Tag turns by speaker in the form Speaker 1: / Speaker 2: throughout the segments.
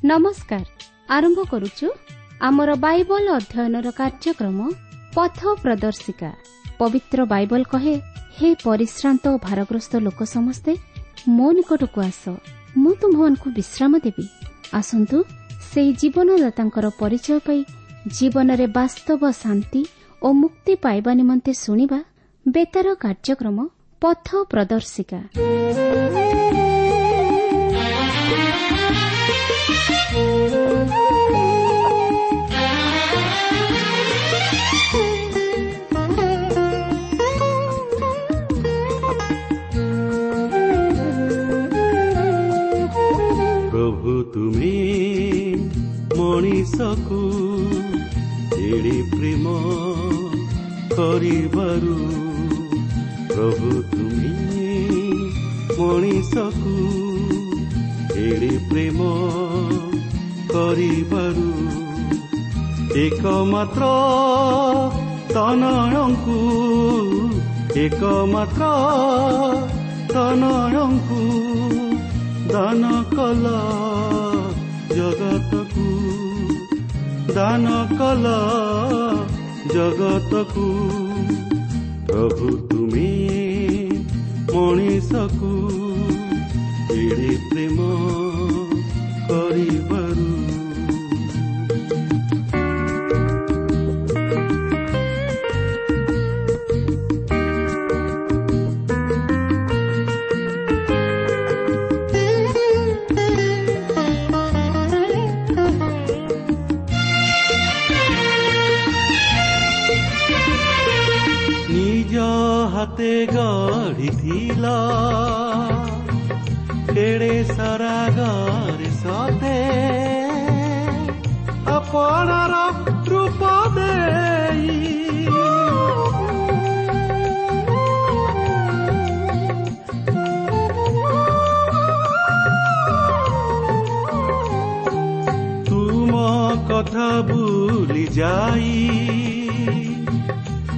Speaker 1: ନମସ୍କାର। ଆରମ୍ଭ କରୁଛୁ ଆମର ବାଇବଲ ଅଧ୍ୟୟନର କାର୍ଯ୍ୟକ୍ରମ ପଥ ପ୍ରଦର୍ଶିକା। ପବିତ୍ର ବାଇବଲ କହେ, ହେ ପରିଶ୍ରାନ୍ତ ଓ ଭାରଗ୍ରସ୍ତ ଲୋକ ସମସ୍ତେ ମୋ ନିକଟକୁ ଆସ, ମୁଁ ତୁମ୍ଭମାନଙ୍କୁ ବିଶ୍ରାମ ଦେବି। ଆସନ୍ତୁ ସେହି ଜୀବନଦାତାଙ୍କର ପରିଚୟ ପାଇ ଜୀବନରେ ବାସ୍ତବ ଶାନ୍ତି ଓ ମୁକ୍ତି ପାଇବା ନିମନ୍ତେ ଶୁଣିବା ବେତାର କାର୍ଯ୍ୟକ୍ରମ ପଥ ପ୍ରଦର୍ଶିକା।
Speaker 2: ପ୍ରଭୁ ତୁମେ ମଣିଷକୁ ଏଡ଼େ ପ୍ରେମ କରିବାରୁ, ପ୍ରଭୁ ତୁମେ ମଣିଷକୁ ଏଡ଼େ ପ୍ରେମ କରିବାରୁ, ଏକମାତ୍ର ତନୟଙ୍କୁ, ଏକମାତ୍ର ତନୟଙ୍କୁ ଦାନ କଲ ଜଗତକୁ, ଦାନ କଲ ଜଗତକୁ। ପ୍ରଭୁ ତୁମେ ମଣିଷକୁ ଏଡ଼େ ପ୍ରେମ କରିବାରୁ। ନିଜ ହାତେ ଗଢ଼ିଥିଲା କେଡ଼େ ସରାଗରେ ସତେ ଆପଣାର ରୂପ ଦେଇ, ତୁମ କଥା ଭୁଲି ଯାଇ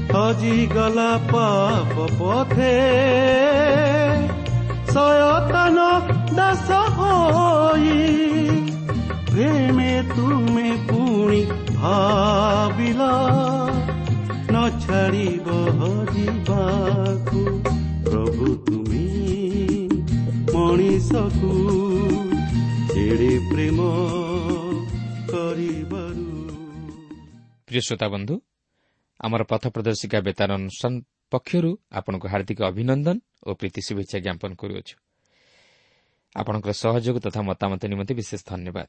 Speaker 2: ହଜିଗଲା ପାପ ପଥେ, ଶୟତାନ ଦାସ ହୋଇ। ପ୍ରେମେ ତୁମେ ପୁଣି ଭାବିଲ ନ ଛାଡ଼ିବ ହଜିବାକୁ। ପ୍ରଭୁ ତୁମେ ମଣିଷକୁ ଏଡ଼େ ପ୍ରେମ କରିବାରୁ।
Speaker 3: ପ୍ରିୟ ଶ୍ରୋତା ବନ୍ଧୁ, ଆମର ପଥ ପ୍ରଦର୍ଶିକା ବେତାର ଅନୁଷ୍ଠାନ ପକ୍ଷରୁ ଆପଣଙ୍କୁ ହାର୍ଦ୍ଦିକ ଅଭିନନ୍ଦନ ଓ ପ୍ରୀତି ଶୁଭେଚ୍ଛା ଜ୍ଞାପନ କରୁଅଛୁ। ଆପଣଙ୍କର ସହଯୋଗ ତଥା ମତାମତ ନିମନ୍ତେ ବିଶେଷ ଧନ୍ୟବାଦ।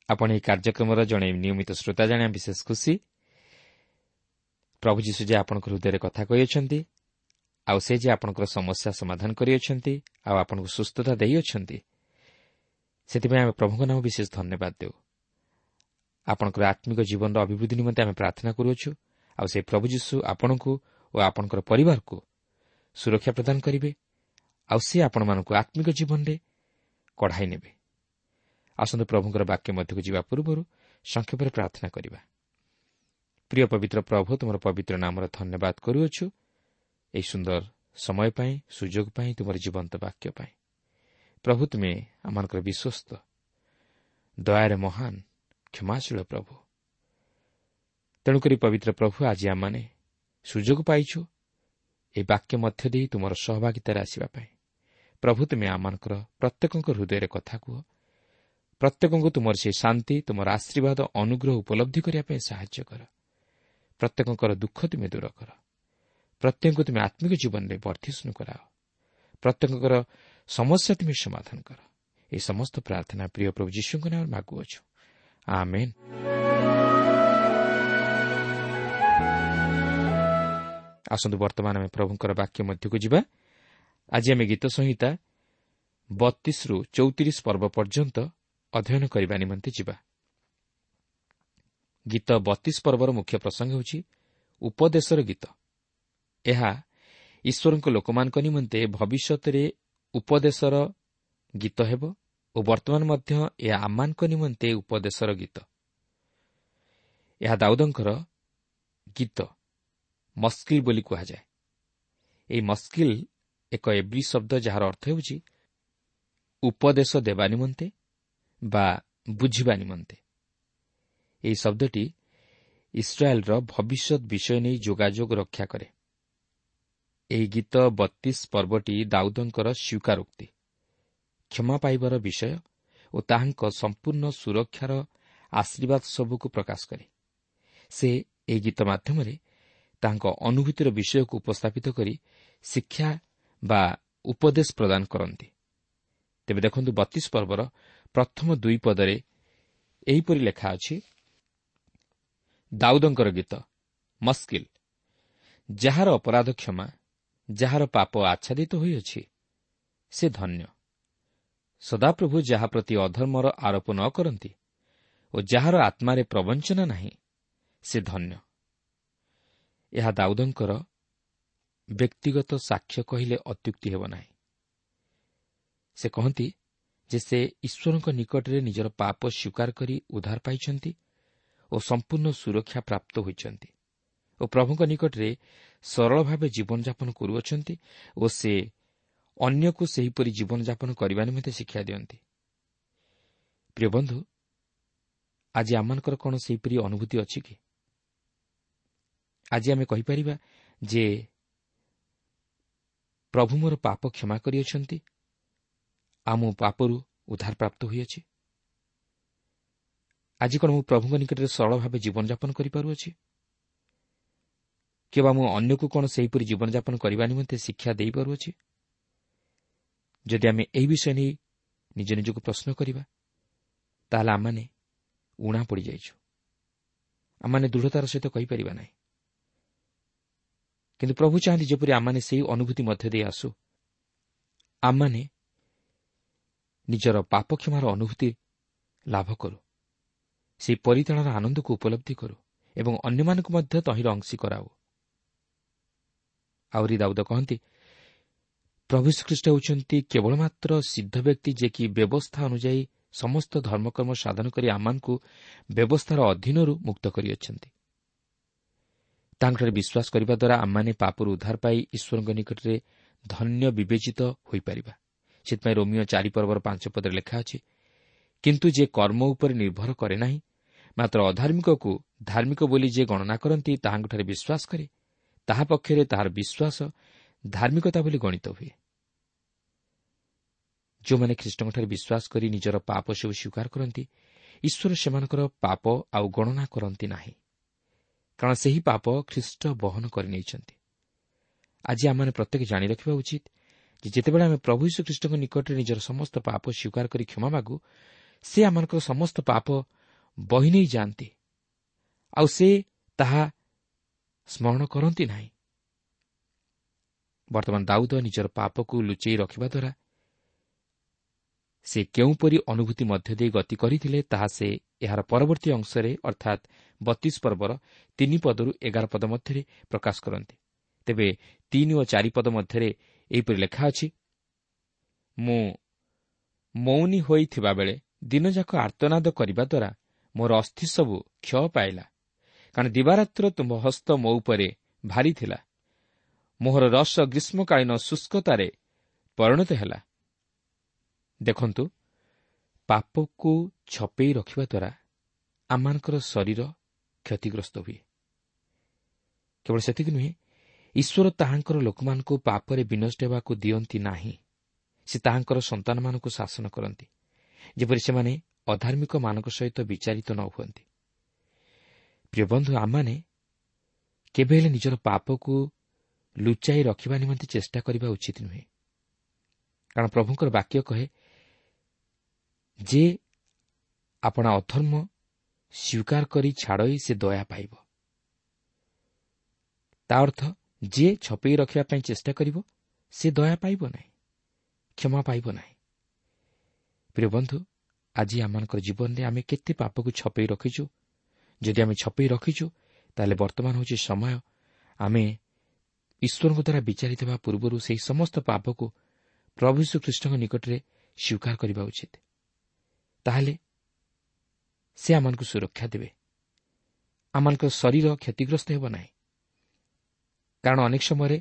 Speaker 3: ଆପଣ ଏହି କାର୍ଯ୍ୟକ୍ରମର ଜଣେ ନିୟମିତ ଶ୍ରୋତା ଜାଣିବା ବିଶେଷ ଖୁସି। ପ୍ରଭୁ ଯୀଶୁ ଯେ ଆପଣଙ୍କ ହୃଦୟରେ କଥା କହିଅଛନ୍ତି, ଆଉ ସେ ଯେ ଆପଣଙ୍କର ସମସ୍ୟା ସମାଧାନ କରିଅଛନ୍ତି, ଆଉ ଆପଣଙ୍କୁ ସୁସ୍ଥତା ଦେଇଅଛନ୍ତି, ସେଥିପାଇଁ ଆମେ ପ୍ରଭୁଙ୍କ ନାମ ବିଶେଷ ଧନ୍ୟବାଦ ଦେଉ। ଆପଣଙ୍କର ଆତ୍ମିକ ଜୀବନର ଅଭିବୃଦ୍ଧି ନିମନ୍ତେ ଆମେ ପ୍ରାର୍ଥନା କରୁଅଛୁ, ଆଉ ସେ ପ୍ରଭୁ ଯୀଶୁ ଆପଣଙ୍କୁ ଓ ଆପଣଙ୍କର ପରିବାରକୁ ସୁରକ୍ଷା ପ୍ରଦାନ କରିବେ, ଆଉ ସେ ଆପଣମାନଙ୍କୁ ଆତ୍ମିକ ଜୀବନରେ କଢ଼ାଇ ନେବେ। ଆସନ୍ତୁ ପ୍ରଭୁଙ୍କର ବାକ୍ୟ ମଧ୍ୟକୁ ଯିବା ପୂର୍ବରୁ ସଂକ୍ଷେପରେ ପ୍ରାର୍ଥନା କରିବା। ପ୍ରିୟ ପବିତ୍ର ପ୍ରଭୁ, ତୁମର ପବିତ୍ର ନାମର ଧନ୍ୟବାଦ କରୁଅଛୁ ଏହି ସୁନ୍ଦର ସମୟ ପାଇଁ, ସୁଯୋଗ ପାଇଁ, ତୁମର ଜୀବନ୍ତ ବାକ୍ୟ ପାଇଁ। ପ୍ରଭୁ, ତୁମେ ଆମମାନଙ୍କର ବିଶ୍ୱସ୍ତ, ଦୟାରେ ମହାନ, କ୍ଷମାଶୀଳ ପ୍ରଭୁ। ତେଣୁକରି ପବିତ୍ର ପ୍ରଭୁ, ଆଜି ଆମମାନେ ସୁଯୋଗ ପାଇଛୁ ଏହି ବାକ୍ୟ ମଧ୍ୟ ଦେଇ ତୁମର ସହଭାଗିତାରେ ଆସିବା ପାଇଁ। ପ୍ରଭୁ, ତୁମେ ଆମମାନଙ୍କର ପ୍ରତ୍ୟେକଙ୍କ ହୃଦୟରେ କଥା କୁହ। ପ୍ରତ୍ୟେକଙ୍କୁ ତୁମର ସେହି ଶାନ୍ତି, ତୁମର ଆଶୀର୍ବାଦ, ଅନୁଗ୍ରହ ଉପଲବ୍ଧି କରିବା ପାଇଁ ସାହାଯ୍ୟ କର। ପ୍ରତ୍ୟେକଙ୍କର ଦୁଃଖ ତୁମେ ଦୂର କର। ପ୍ରତ୍ୟେକଙ୍କୁ ତୁମେ ଆତ୍ମିକ ଜୀବନରେ ବର୍ଦ୍ଧିଷ୍ଣୁ କରାଅ। ପ୍ରତ୍ୟେକଙ୍କର ସମସ୍ୟା ତୁମେ ସମାଧାନ କର। ଏହି ସମସ୍ତ ପ୍ରାର୍ଥନା ପ୍ରିୟ ପ୍ରଭୁ ଯୀଶୁଙ୍କ ନାମରେ ମାଗୁଅଛୁ, ଆମେନ୍। ଆସନ୍ତୁ ବର୍ତ୍ତମାନ ଆମେ ପ୍ରଭୁଙ୍କର ବାକ୍ୟ ମଧ୍ୟକୁ ଯିବା। ଆଜି ଆମେ ଗୀତ ସଂହିତା 32ରୁ 34 ପର୍ବ ପର୍ଯ୍ୟନ୍ତ ଅଧ୍ୟୟନ କରିବା ନିମନ୍ତେ ଯିବା। ଗୀତ 32 ପର୍ବର ମୁଖ୍ୟ ପ୍ରସଙ୍ଗ ହେଉଛି ଉପଦେଶର ଗୀତ। ଏହା ଈଶ୍ୱରଙ୍କ ଲୋକମାନଙ୍କ ନିମନ୍ତେ ଭବିଷ୍ୟତରେ ଉପଦେଶର ଗୀତ ହେବ ଓ ବର୍ତ୍ତମାନ ମଧ୍ୟ ଏହା ଆମମାନଙ୍କ ନିମନ୍ତେ ଉପଦେଶର ଗୀତ। ଏହା ଦାଉଦଙ୍କର ଗୀତ ମସ୍କିଲ୍ ବୋଲି କୁହାଯାଏ। ଏହି ମସ୍କିଲ୍ ଏକ ଏବ୍ରୀ ଶବ୍ଦ, ଯାହାର ଅର୍ଥ ହେଉଛି ଉପଦେଶ ଦେବା ନିମନ୍ତେ ବା ବୁଝିବା ନିମନ୍ତେ। ଏହି ଶବ୍ଦଟି ଇସ୍ରାଏଲ୍ର ଭବିଷ୍ୟତ ବିଷୟ ନେଇ ଯୋଗାଯୋଗ ରକ୍ଷା କରେ। ଏହି ଗୀତ 32 ପର୍ବଟି ଦାଉଦଙ୍କର ସ୍ୱୀକାରୋକ୍ତି, କ୍ଷମା ପାଇବାର ବିଷୟ ଓ ତାହାଙ୍କ ସମ୍ପୂର୍ଣ୍ଣ ସୁରକ୍ଷାର ଆଶୀର୍ବାଦ ସବୁକୁ ପ୍ରକାଶ କରେ। ସେ ଏହି ଗୀତ ମାଧ୍ୟମରେ ତାଙ୍କ ଅନୁଭୂତିର ବିଷୟକୁ ଉପସ୍ଥାପିତ କରି ଶିକ୍ଷା ବା ଉପଦେଶ ପ୍ରଦାନ କରନ୍ତି। ତେବେ ଦେଖନ୍ତୁ, 32 ପର୍ବର ପ୍ରଥମ 2 ପଦରେ ଏହିପରି ଲେଖା ଅଛି, ଦାଉଦଙ୍କର ଗୀତ, ମସ୍କିଲ, ଯାହାର ଅପରାଧ କ୍ଷମା, ଯାହାର ପାପ ଆଚ୍ଛାଦିତ ହୋଇଅଛି, ସେ ଧନ୍ୟ। ସଦାପ୍ରଭୁ ଯାହା ପ୍ରତି ଅଧର୍ମର ଆରୋପ ନ କରନ୍ତି ଓ ଯାହାର ଆତ୍ମାରେ ପ୍ରବଞ୍ଚନା ନାହିଁ, ସେ ଧନ୍ୟ। ଏହା ଦାଉଦଙ୍କର ବ୍ୟକ୍ତିଗତ ସାକ୍ଷ୍ୟ କହିଲେ ଅତ୍ୟୁକ୍ତି ହେବ ନାହିଁ। ସେ କହନ୍ତି ଯେ ସେ ଈଶ୍ୱରଙ୍କ ନିକଟରେ ନିଜର ପାପ ସ୍ୱୀକାର କରି ଉଦ୍ଧାର ପାଇଛନ୍ତି ଓ ସମ୍ପୂର୍ଣ୍ଣ ସୁରକ୍ଷା ପ୍ରାପ୍ତ ହୋଇଛନ୍ତି ଓ ପ୍ରଭୁଙ୍କ ନିକଟରେ ସରଳ ଭାବେ ଜୀବନଯାପନ କରୁଅଛନ୍ତି ଓ ସେ ଅନ୍ୟକୁ ସେହିପରି ଜୀବନଯାପନ କରିବା ନିମନ୍ତେ ଶିକ୍ଷା ଦିଅନ୍ତି। ପ୍ରିୟ ବନ୍ଧୁ, ଆଜି ଆମମାନଙ୍କର କ'ଣ ସେହିପରି ଅନୁଭୂତି ଅଛି କି? ଆଜି ଆମେ କହିପାରିବା ଯେ ପ୍ରଭୁ ମୋର ପାପ କ୍ଷମା କରିଅଛନ୍ତି, ଆଉ ମୁଁ ପାପରୁ ଉଦ୍ଧାର ପ୍ରାପ୍ତ ହୋଇଅଛି? ଆଜି କ'ଣ ମୁଁ ପ୍ରଭୁଙ୍କ ନିକଟରେ ସରଳ ଭାବେ ଜୀବନଯାପନ କରିପାରୁଅଛି, କିମ୍ବା ମୁଁ ଅନ୍ୟକୁ କ'ଣ ସେହିପରି ଜୀବନଯାପନ କରିବା ନିମନ୍ତେ ଶିକ୍ଷା ଦେଇପାରୁଅଛି? ଯଦି ଆମେ ଏହି ବିଷୟ ନେଇ ନିଜ ନିଜକୁ ପ୍ରଶ୍ନ କରିବା, ତାହେଲେ ଆମମାନେ ଊଣା ପଡ଼ିଯାଇଛୁ। ଆମମାନେ ଦୃଢ଼ତାର ସହିତ କହିପାରିବା ନାହିଁ। କିନ୍ତୁ ପ୍ରଭୁ ଚାହାନ୍ତି ଯେପରି ଆମମାନେ ସେହି ଅନୁଭୂତି ମଧ୍ୟ ଦେଇ ଆସୁ, ଆମମାନେ ନିଜର ପାପ କ୍ଷମାର ଅନୁଭୂତି ଲାଭ କରୁ, ସେହି ପରିତ୍ରାଣର ଆନନ୍ଦକୁ ଉପଲବ୍ଧି କରୁ ଏବଂ ଅନ୍ୟମାନଙ୍କୁ ମଧ୍ୟ ତହିଁର ଅଂଶୀ କରାଉ। ଆହୁରି ଦାଉଦ କହନ୍ତି, ପ୍ରଭୁ ଯୀଶୁଖ୍ରୀଷ୍ଟ ହେଉଛନ୍ତି କେବଳ ମାତ୍ର ସିଦ୍ଧ ବ୍ୟକ୍ତି, ଯିଏକି ବ୍ୟବସ୍ଥା ଅନୁଯାୟୀ ସମସ୍ତ ଧର୍ମକର୍ମ ସାଧନ କରି ଆମମାନଙ୍କୁ ବ୍ୟବସ୍ଥାର ଅଧୀନରୁ ମୁକ୍ତ କରିଅଛନ୍ତି। ତାଙ୍କଠାରେ ବିଶ୍ୱାସ କରିବା ଦ୍ୱାରା ଆମମାନେ ପାପରୁ ଉଦ୍ଧାର ପାଇ ଈଶ୍ୱରଙ୍କ ନିକଟରେ ଧନ୍ୟ ବିବେଚିତ ହୋଇପାରିବା। ସେଥିପାଇଁ ରୋମିଓ 4 ପର୍ବର 5 ପଦରେ ଲେଖା ଅଛି, କିନ୍ତୁ ଯେ କର୍ମ ଉପରେ ନିର୍ଭର କରେ ନାହିଁ, ମାତ୍ର ଅଧାର୍ମିକକୁ ଧାର୍ମିକ ବୋଲି ଯେ ଗଣନା କରନ୍ତି ତାହାଙ୍କଠାରେ ବିଶ୍ୱାସ କରେ, ତାହା ପକ୍ଷରେ ତାହାର ବିଶ୍ୱାସ ଧାର୍ମିକତା ବୋଲି ଗଣିତ ହୁଏ। ଯେଉଁମାନେ ଖ୍ରୀଷ୍ଟଙ୍କଠାରେ ବିଶ୍ୱାସ କରି ନିଜର ପାପ ସବୁ ସ୍ୱୀକାର କରନ୍ତି, ଈଶ୍ୱର ସେମାନଙ୍କର ପାପ ଆଉ ଗଣନା କରନ୍ତି ନାହିଁ, କାରଣ ସେହି ପାପ ଖ୍ରୀଷ୍ଟ ବହନ କରିନେଇଛନ୍ତି। ଆଜି ଆମମାନେ ପ୍ରତ୍ୟେକ ଜାଣି ରଖିବା ଉଚିତ ଯେ ଯେତେବେଳେ ଆମେ ପ୍ରଭୁ ଯୀଶୁ ଖ୍ରୀଷ୍ଟଙ୍କ ନିକଟରେ ନିଜର ସମସ୍ତ ପାପ ସ୍ୱୀକାର କରି କ୍ଷମା ମାଗୁ, ସେ ଆମମାନଙ୍କର ସମସ୍ତ ପାପ ବହି ନେଇ ଯାଆନ୍ତି, ଆଉ ସେ ତାହା ସ୍ମରଣ କରନ୍ତି ନାହିଁ। ବର୍ତ୍ତମାନ ଦାଉଦ ନିଜର ପାପକୁ ଲୁଚେଇ ରଖିବା ଦ୍ୱାରା ସେ କେଉଁପରି ଅନୁଭୂତି ମଧ୍ୟ ଦେଇ ଗତି କରିଥିଲେ, ତାହା ସେ ଏହାର ପରବର୍ତ୍ତୀ ଅଂଶରେ ଅର୍ଥାତ୍ 32 ପର୍ବର 3 ପଦରୁ 11 ପଦ ମଧ୍ୟରେ ପ୍ରକାଶ କରନ୍ତି। ତେବେ 3 ଓ 4 ପଦ ମଧ୍ୟରେ ଏହିପରି ଲେଖା ଅଛି, ମୁଁ ମୌନୀ ହୋଇଥିବାବେଳେ ଦିନଯାକ ଆର୍ତ୍ତନାଦ କରିବା ଦ୍ୱାରା ମୋର ଅସ୍ଥି ସବୁ କ୍ଷୟ ପାଇଲା, କାରଣ ଦିବାରାତ୍ର ତୁମ୍ଭ ହସ୍ତ ମୋ ଉପରେ ଭାରି ଥିଲା, ମୋହର ରସ ଗ୍ରୀଷ୍ମକାଳୀନ ଶୁଷ୍କତାରେ ପରିଣତ ହେଲା। ଦେଖନ୍ତୁ, ପାପକୁ ଛପେଇ ରଖିବା ଦ୍ୱାରା ଆମମାନଙ୍କର ଶରୀର କ୍ଷତିଗ୍ରସ୍ତ ହୁଏ। କେବଳ ସେତିକି ନୁହେଁ, ଈଶ୍ୱର ତାହାଙ୍କର ଲୋକମାନଙ୍କୁ ପାପରେ ବିନଷ୍ଟ ହେବାକୁ ଦିଅନ୍ତି ନାହିଁ। ସେ ତାହାଙ୍କର ସନ୍ତାନମାନଙ୍କୁ ଶାସନ କରନ୍ତି, ଯେପରି ସେମାନେ ଅଧାର୍ମିକମାନଙ୍କ ସହିତ ବିଚାରିତ ନ ହୁଅନ୍ତି। ପ୍ରିୟ ବନ୍ଧୁ, ଆମମାନେ କେବେ ହେଲେ ନିଜର ପାପକୁ ଲୁଚାଇ ରଖିବା ନିମନ୍ତେ ଚେଷ୍ଟା କରିବା ଉଚିତ ନୁହେଁ, କାରଣ ପ୍ରଭୁଙ୍କର ବାକ୍ୟ କହେ ଯେ ଆପଣା ଅଧର୍ମ ସ୍ୱୀକାର କରି ଛାଡ଼ଇ ସେ ଦୟା ପାଇବ। ତା ଅର୍ଥ ଯିଏ ଛପେଇ ରଖିବା ପାଇଁ ଚେଷ୍ଟା କରିବ ସେ ଦୟା ପାଇବ ନାହିଁ, କ୍ଷମା ପାଇବ ନାହିଁ। ପ୍ରିୟ ବନ୍ଧୁ, ଆଜି ଆମମାନଙ୍କର ଜୀବନରେ ଆମେ କେତେ ପାପକୁ ଛପେଇ ରଖିଛୁ? ଯଦି ଆମେ ଛପେଇ ରଖିଛୁ, ତାହେଲେ ବର୍ତ୍ତମାନ ହେଉଛି ସମୟ ଆମେ ଈଶ୍ୱରଙ୍କ ଦ୍ୱାରା ବିଚାରିତ ହେବା ପୂର୍ବରୁ ସେହି ସମସ୍ତ ପାପକୁ ପ୍ରଭୁ ଯୀଶୁ ଖ୍ରୀଷ୍ଟଙ୍କ ନିକଟରେ ସ୍ୱୀକାର କରିବା ଉଚିତ। ତାହେଲେ ସେ ଆମମାନଙ୍କୁ ସୁରକ୍ଷା ଦେବେ, ଆମମାନଙ୍କ ଶରୀର କ୍ଷତିଗ୍ରସ୍ତ ହେବ ନାହିଁ। କାରଣ ଅନେକ ସମୟରେ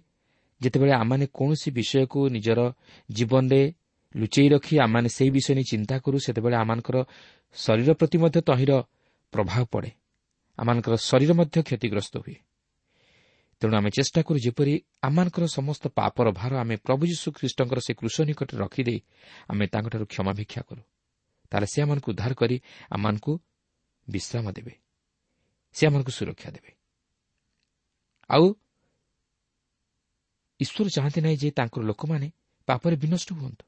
Speaker 3: ଯେତେବେଳେ ଆମମାନେ କୌଣସି ବିଷୟକୁ ନିଜର ଜୀବନରେ ଲୁଚେଇ ରଖି ଆମମାନେ ସେହି ବିଷୟ ନେଇ ଚିନ୍ତା କରୁ, ସେତେବେଳେ ଆମମାନଙ୍କର ଶରୀର ପ୍ରତି ମଧ୍ୟ ତହିଁର ପ୍ରଭାବ ପଡ଼େ, ଆମମାନଙ୍କର ଶରୀର ମଧ୍ୟ କ୍ଷତିଗ୍ରସ୍ତ ହୁଏ। ତେଣୁ ଆମେ ଚେଷ୍ଟା କରୁ ଯେପରି ଆମମାନଙ୍କର ସମସ୍ତ ପାପର ଭାର ଆମେ ପ୍ରଭୁ ଯୀଶୁ ଖ୍ରୀଷ୍ଟଙ୍କର ସେ କୃଷ ନିକଟରେ ରଖିଦେଇ ଆମେ ତାଙ୍କଠାରୁ କ୍ଷମା ଭିକ୍ଷା କରୁ। ତାହେଲେ ସେ ଆମମାନଙ୍କୁ ଉଦ୍ଧାର କରି ଆମମାନଙ୍କୁ ବିଶ୍ରାମ ଦେବେ, ସେ ଆମମାନଙ୍କୁ ସୁରକ୍ଷା ଦେବେ। ଆଉ ଈଶ୍ୱର ଚାହାନ୍ତି ନାହିଁ ଯେ ତାଙ୍କର ଲୋକମାନେ ପାପରେ ବିନଷ୍ଟ ହୁଅନ୍ତୁ।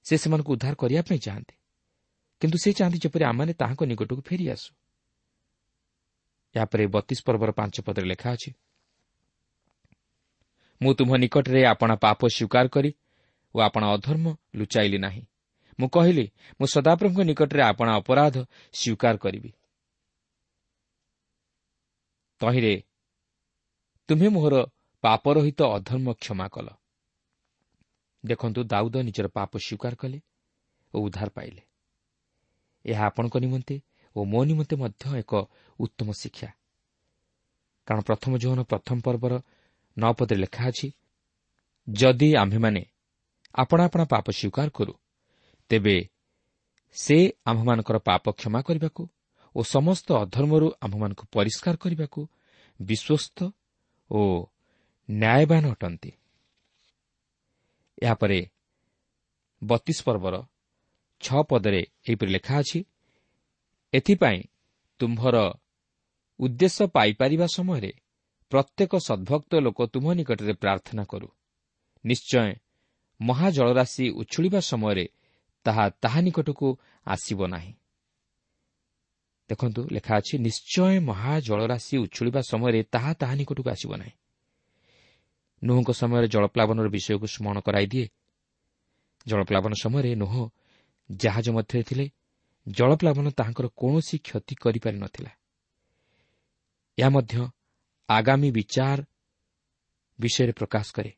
Speaker 3: ସେ ସେମାନଙ୍କୁ ଉଦ୍ଧାର କରିବା ପାଇଁ ଚାହାନ୍ତି, କିନ୍ତୁ ସେ ଚାହାନ୍ତି ଯେପରି ଆମମାନେ ତାହାଙ୍କ ନିକଟକୁ ଫେରିଆସୁ। ଏହାପରେ 32 ପର୍ବର 5 ପଦରେ ଲେଖା ଅଛି, ମୁଁ ତୁମ୍ଭ ନିକଟରେ ଆପଣା ପାପ ସ୍ୱୀକାର କରି ଓ ଆପଣା ଅଧର୍ମ ଲୁଚାଇଲି ନାହିଁ। ମୁଁ କହିଲି, ମୁଁ ସଦାପ୍ରଭୁଙ୍କ ନିକଟରେ ଆପଣା ଅପରାଧ ସ୍ୱୀକାର କରିବି। ତହିଁରେ ତୁମ୍ଭେ ମୋହର ପାପରହିତ ଅଧର୍ମ କ୍ଷମା କଲ। ଦେଖନ୍ତୁ, ଦାଉଦ ନିଜର ପାପ ସ୍ୱୀକାର କଲେ ଓ ଉଦ୍ଧାର ପାଇଲେ। ଏହା ଆପଣଙ୍କ ନିମନ୍ତେ ଓ ମୋ ନିମନ୍ତେ ମଧ୍ୟ ଏକ ଉତ୍ତମ ଶିକ୍ଷା। କାରଣ ପ୍ରଥମ ଯୋହନ 1 ପର୍ବର 9 ପଦରେ ଲେଖା ଅଛି, ଯଦି ଆମ୍ଭେମାନେ ଆପଣା ଆପଣା ପାପ ସ୍ୱୀକାର କରୁ, ତେବେ ସେ ଆମ୍ଭମାନଙ୍କର ପାପ କ୍ଷମା କରିବାକୁ ଓ ସମସ୍ତ ଅଧର୍ମରୁ ଆମ୍ଭମାନଙ୍କୁ ପରିଷ୍କାର କରିବାକୁ ବିଶ୍ୱସ୍ତ ଓ ନ୍ୟାୟବାନ ଅଟନ୍ତି। ଏହାପରେ 32 ପର୍ବର 6 ପଦରେ ଏହିପରି ଲେଖା ଅଛି, ଏଥିପାଇଁ ତୁମ୍ଭର ଉଦ୍ଦେଶ୍ୟ ପାଇପାରିବା ସମୟରେ ପ୍ରତ୍ୟେକ ସଦ୍ଭକ୍ତ ଲୋକ ତୁମ୍ଭ ନିକଟରେ ପ୍ରାର୍ଥନା କରୁ। ନିଶ୍ଚୟ ମହାଜଳରାଶି ଉଛୁଳିବା ସମୟରେ ତାହା ତାହା ନିକଟକୁ ଆସିବ ନାହିଁ। ଦେଖନ୍ତୁ, ଲେଖା ଅଛି, ନିଶ୍ଚୟ ମହାଜଳରାଶି ଉଛୁଳିବା ସମୟରେ ତାହା ତାହା ନିକଟକୁ ଆସିବ ନାହିଁ। ନୋହଙ୍କ ସମୟରେ ଜଳପ୍ଲାବନର ବିଷୟକୁ ସ୍ମରଣ କରାଇଦିଏ। ଜଳପ୍ଲାବନ ସମୟରେ ନୋହ ଜାହାଜ ମଧ୍ୟରେ ଥିଲେ। ଜଳପ୍ଲାବନ ତାହାଙ୍କର କୌଣସି କ୍ଷତି କରିପାରିନଥିଲା। ଏହା ମଧ୍ୟ ଆଗାମୀ ବିଚାର ବିଷୟରେ ପ୍ରକାଶ କରେ,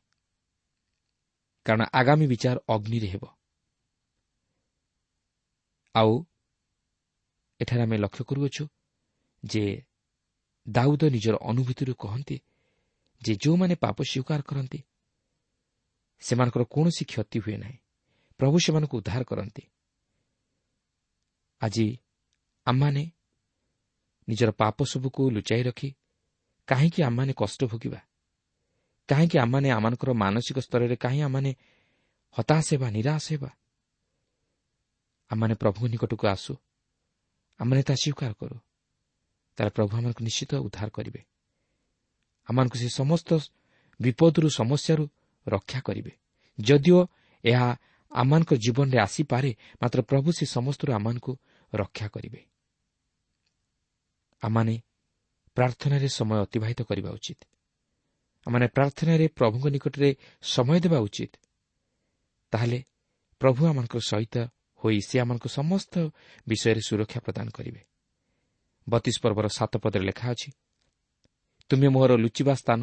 Speaker 3: କାରଣ ଆଗାମୀ ବିଚାର ଅଗ୍ନିରେ ହେବ। ଆଉ ଏଠାରେ ଆମେ ଲକ୍ଷ୍ୟ କରୁଅଛୁ ଯେ ଦାଉଦ ନିଜର ଅନୁଭୂତିରୁ କହନ୍ତି ଯେ ଯେଉଁମାନେ ପାପ ସ୍ୱୀକାର କରନ୍ତି ସେମାନଙ୍କର କୌଣସି କ୍ଷତି ହୁଏ ନାହିଁ, ପ୍ରଭୁ ସେମାନଙ୍କୁ ଉଦ୍ଧାର କରନ୍ତି। ଆଜି ଆମମାନେ ନିଜର ପାପ ସବୁକୁ ଲୁଚାଇ ରଖି କାହିଁକି ଆମମାନେ କଷ୍ଟ ଭୋଗିବା? କାହିଁକି ଆମମାନେ ଆମମାନଙ୍କର ମାନସିକ ସ୍ତରରେ କାହିଁ ଆମମାନେ ହତାଶ ହେବା, ନିରାଶ ହେବା? ଆମମାନେ ପ୍ରଭୁଙ୍କ ନିକଟକୁ ଆସୁ, ଆମମାନେ ତା ସ୍ୱୀକାର କରୁ, ତାହେଲେ ପ୍ରଭୁ ଆମମାନଙ୍କୁ ନିଶ୍ଚିତ ଉଦ୍ଧାର କରିବେ। ଆମମାନଙ୍କୁ ସେ ସମସ୍ତ ବିପଦରୁ, ସମସ୍ୟାରୁ ରକ୍ଷା କରିବେ। ଯଦିଓ ଏହା ଆମମାନଙ୍କ ଜୀବନରେ ଆସିପାରେ, ମାତ୍ର ପ୍ରଭୁ ସେ ସମସ୍ତରୁ ଆମମାନଙ୍କୁ ରକ୍ଷା କରିବେ। ଆମମାନେ ପ୍ରାର୍ଥନାରେ ସମୟ ଅତିବାହିତ କରିବା ଉଚିତ। ଆମମାନେ ପ୍ରାର୍ଥନାରେ ପ୍ରଭୁଙ୍କ ନିକଟରେ ସମୟ ଦେବା ଉଚିତ। ତାହେଲେ ପ୍ରଭୁ ଆମମାନଙ୍କ ସହିତ ହୋଇ ସେ ଆମମାନଙ୍କୁ ସମସ୍ତ ବିଷୟରେ ସୁରକ୍ଷା ପ୍ରଦାନ କରିବେ। 32 ପର୍ବର 7 ପଦରେ ଲେଖା ଅଛି, ତୁମେ ମୋହର ଲୁଚିବା ସ୍ଥାନ,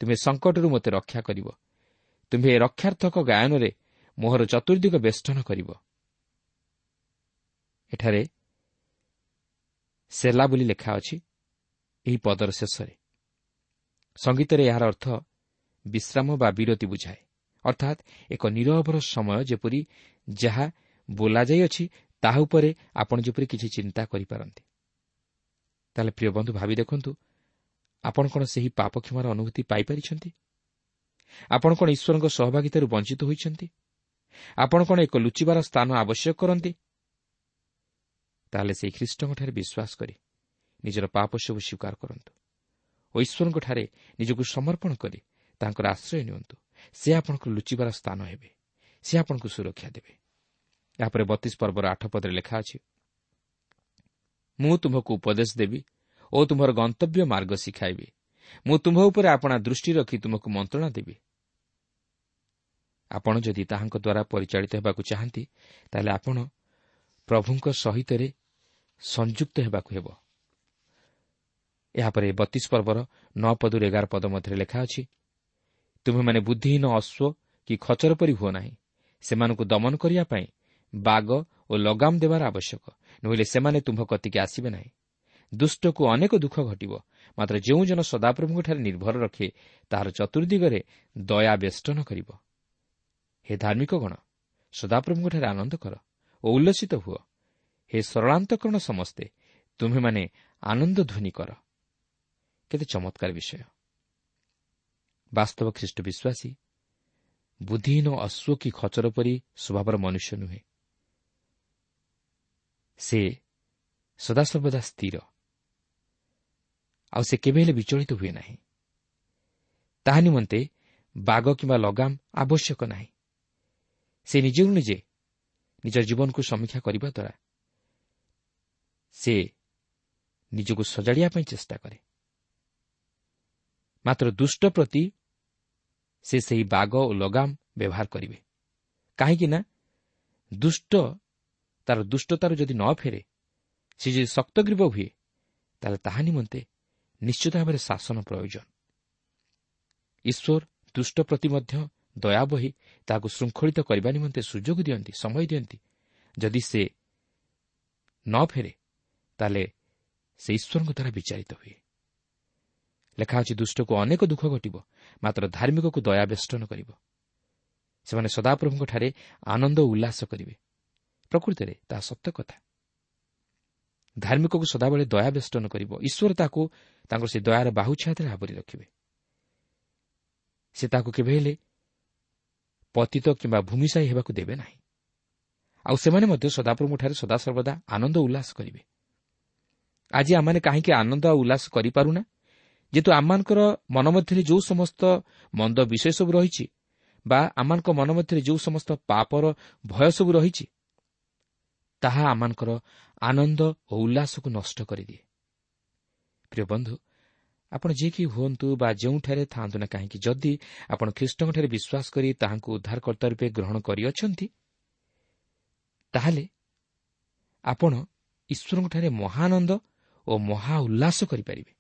Speaker 3: ତୁମେ ସଙ୍କଟରୁ ମୋତେ ରକ୍ଷା କରିବ, ତୁମ୍ଭେ ରକ୍ଷାର୍ଥକ ଗାୟନରେ ମୋହର ଚତୁର୍ଦିଗ ବେଷ୍ଟନ କରିବ। ଏଠାରେ ସେଲା ବୋଲି ଲେଖା ଅଛି ଏହି ପଦର ଶେଷରେ। ସଙ୍ଗୀତରେ ଏହାର ଅର୍ଥ ବିଶ୍ରାମ ବା ବିରତି ବୁଝାଏ, ଅର୍ଥାତ୍ ଏକ ନିରବର ସମୟ, ଯେପରି ଯାହା ବୋଲାଯାଇଅଛି ତାହା ଉପରେ ଆପଣ ଯେପରି କିଛି ଚିନ୍ତା କରିପାରନ୍ତି। ତାହେଲେ ପ୍ରିୟ ବନ୍ଧୁ, ଭାବି ଦେଖନ୍ତୁ, ଆପଣ କ'ଣ ସେହି ପାପ କ୍ଷମାର ଅନୁଭୂତି ପାଇପାରିଛନ୍ତି? ଆପଣ କ'ଣ ଈଶ୍ୱରଙ୍କ ସହଭାଗିତାରୁ ବଞ୍ଚିତ ହୋଇଛନ୍ତି? ଆପଣ କ'ଣ ଏକ ଲୁଚିବାର ସ୍ଥାନ ଆବଶ୍ୟକ କରନ୍ତି? ତାହେଲେ ସେହି ଖ୍ରୀଷ୍ଟଙ୍କଠାରେ ବିଶ୍ୱାସ କରି ନିଜର ପାପ ସବୁ ସ୍ୱୀକାର କରନ୍ତୁ ଓ ଈଶ୍ୱରଙ୍କଠାରେ ନିଜକୁ ସମର୍ପଣ କରି ତାଙ୍କର ଆଶ୍ରୟ ନିଅନ୍ତୁ। ସେ ଆପଣଙ୍କ ଲୁଚିବାର ସ୍ଥାନ ହେବେ, ସେ ଆପଣଙ୍କୁ ସୁରକ୍ଷା ଦେବେ। ଏହାପରେ 32 ପର୍ବର 8 ପଦରେ ଲେଖା ଅଛି, ମୁଁ ତୁମ୍ଭକୁ ଉପଦେଶ ଦେବି ଓ ତୁମ୍ଭର ଗନ୍ତବ୍ୟ ମାର୍ଗ ଶିଖାଇବି। ମୁଁ ତୁମ୍ଭ ଉପରେ ଆପଣା ଦୃଷ୍ଟି ରଖି ତୁମକୁ ମନ୍ତ୍ରଣା ଦେବି। ଆପଣ ଯଦି ତାହାଙ୍କ ଦ୍ୱାରା ପରିଚାଳିତ ହେବାକୁ ଚାହାନ୍ତି, ତାହେଲେ ଆପଣ ପ୍ରଭୁଙ୍କ ସହିତରେ ସଂଯୁକ୍ତ ହେବାକୁ ହେବ। ଏହାପରେ 32 ପର୍ବର 9 ପଦରୁ 11 ପଦ ମଧ୍ୟରେ ଲେଖା ଅଛି, ତୁମ୍ଭେମାନେ ବୁଦ୍ଧିହୀନ ଅଶ୍ୱ କି ଖଚର ପରି ହୁଅ ନାହିଁ। ସେମାନଙ୍କୁ ଦମନ କରିବା ପାଇଁ ବାଗ ଓ ଲଗାମ ଦେବାର ଆବଶ୍ୟକ, ନୋହିଲେ ସେମାନେ ତୁମ୍ଭ କତିକି ଆସିବେ ନାହିଁ। ଦୁଷ୍ଟକୁ ଅନେକ ଦୁଃଖ ଘଟିବ, ମାତ୍ର ଯେଉଁ ଜନ ସଦାପ୍ରଭୁଙ୍କଠାରେ ନିର୍ଭର ରଖେ ତାହାର ଚତୁର୍ଦିଗରେ ଦୟା ବେଷ୍ଟନ କରିବ। ହେ ଧାର୍ମିକଗଣ, ସଦାପ୍ରଭୁଙ୍କଠାରେ ଆନନ୍ଦ କର ଓ ଉଲ୍ଲସିତ ହୁଅ। ହେ ସରଳାନ୍ତକରଣ ସମସ୍ତେ, ତୁମ୍ଭେମାନେ ଆନନ୍ଦ ଧ୍ୱନି କର। କେତେ ଚମତ୍କାର ବିଷୟ! ବାସ୍ତବ ଖ୍ରୀଷ୍ଟ ବିଶ୍ୱାସୀ ବୁଦ୍ଧିହୀନ ଅଶ୍ୱ କି ଖଚର ପରି ସ୍ୱଭାବର ମନୁଷ୍ୟ ନୁହେଁ। ସେ ସଦାସର୍ବଦା ସ୍ଥିର, ଆଉ ସେ କେବେ ହେଲେ ବିଚଳିତ ହୁଏ ନାହିଁ। ତାହା ନିମନ୍ତେ ବାଗ କିମ୍ବା ଲଗାମ ଆବଶ୍ୟକ ନାହିଁ। ସେ ନିଜକୁ ନିଜେ ନିଜ ଜୀବନକୁ ସମୀକ୍ଷା କରିବା ଦ୍ୱାରା ସେ ନିଜକୁ ସଜାଡ଼ିବା ପାଇଁ ଚେଷ୍ଟା କରେ। ମାତ୍ର ଦୁଷ୍ଟ ପ୍ରତି ସେ ସେହି ବାଗ ଓ ଲଗାମ ବ୍ୟବହାର କରିବେ, କାହିଁକି ନା ଦୁଷ୍ଟ ତାର ଦୁଷ୍ଟତାରୁ ଯଦି ନ ଫେରେ, ସେ ଯଦି ଶକ୍ତଗ୍ରୀବ ହୁଏ, ତାହେଲେ ତାହା ନିମନ୍ତେ ନିଶ୍ଚିତ ଭାବରେ ଶାସନ ପ୍ରୟୋଜନ। ଈଶ୍ୱର ଦୁଷ୍ଟ ପ୍ରତି ମଧ୍ୟ ଦୟା ବହି ତାହାକୁ ଶୃଙ୍ଖଳିତ କରିବା ନିମନ୍ତେ ସୁଯୋଗ ଦିଅନ୍ତି, ସମୟ ଦିଅନ୍ତି। ଯଦି ସେ ନ ଫେରେ, ତାହେଲେ ସେ ଈଶ୍ୱରଙ୍କ ଦ୍ୱାରା ବିଚାରିତ ହୁଏ। ଲେଖା ଅଛି, ଦୁଷ୍ଟକୁ ଅନେକ ଦୁଃଖ ଘଟିବ, ମାତ୍ର ଧାର୍ମିକକୁ ଦୟା ବେଷ୍ଟନ କରିବ। ସେମାନେ ସଦାପ୍ରଭୁଙ୍କଠାରେ ଆନନ୍ଦ ଓ ଉଲ୍ଲାସ କରିବେ। ପ୍ରକୃତରେ ତାହା ସତ୍ୟ କଥା। ଧାର୍ମିକକୁ ସଦାବେଳେ ଦୟା ବେଷ୍ଟନ କରିବ। ଈଶ୍ୱର ତାକୁ ତାଙ୍କର ସେ ଦୟାର ବାହୁ ଛାୟାରେ ଆବରି ରଖିବେ। ସେ ତାକୁ କେବେ ହେଲେ ପତିତ କିମ୍ବା ଭୂମିଶାୟୀ ହେବାକୁ ଦେବେ ନାହିଁ। ଆଉ ସେମାନେ ମଧ୍ୟ ସଦାପ୍ରଭୁଙ୍କଠାରେ ସଦାସର୍ବଦା ଆନନ୍ଦ ଉଲ୍ଲାସ କରିବେ। ଆଜି ଆମମାନେ କାହିଁକି ଆନନ୍ଦ ଆଉ ଉଲ୍ଲାସ କରିପାରୁନା? ଯେହେତୁ ଆମମାନଙ୍କର ମନ ମଧ୍ୟରେ ଯେଉଁ ସମସ୍ତ ମନ୍ଦ ବିଷୟ ସବୁ ରହିଛି ବା ଆମମାନଙ୍କ ମନ ମଧ୍ୟରେ ଯେଉଁ ସମସ୍ତ ପାପର ଭୟ ସବୁ ରହିଛି, ତାହା ଆମମାନଙ୍କର ଆନନ୍ଦ ଓ ଉଲ୍ଲାସକୁ ନଷ୍ଟ କରିଦିଏ। ପ୍ରିୟ ବନ୍ଧୁ, ଆପଣ ଯିଏ କି ହୁଅନ୍ତୁ ବା ଯେଉଁଠାରେ ଥାଆନ୍ତୁ ନା କାହିଁକି, ଯଦି ଆପଣ ଖ୍ରୀଷ୍ଟଙ୍କଠାରେ ବିଶ୍ୱାସ କରି ତାହାଙ୍କୁ ଉଦ୍ଧାରକର୍ତ୍ତା ରୂପେ ଗ୍ରହଣ କରିଅଛନ୍ତି, ତାହେଲେ ଆପଣ ଈଶ୍ୱରଙ୍କଠାରେ ମହାନନ୍ଦ ଓ ମହା ଉଲ୍ଲାସ କରିପାରିବେ।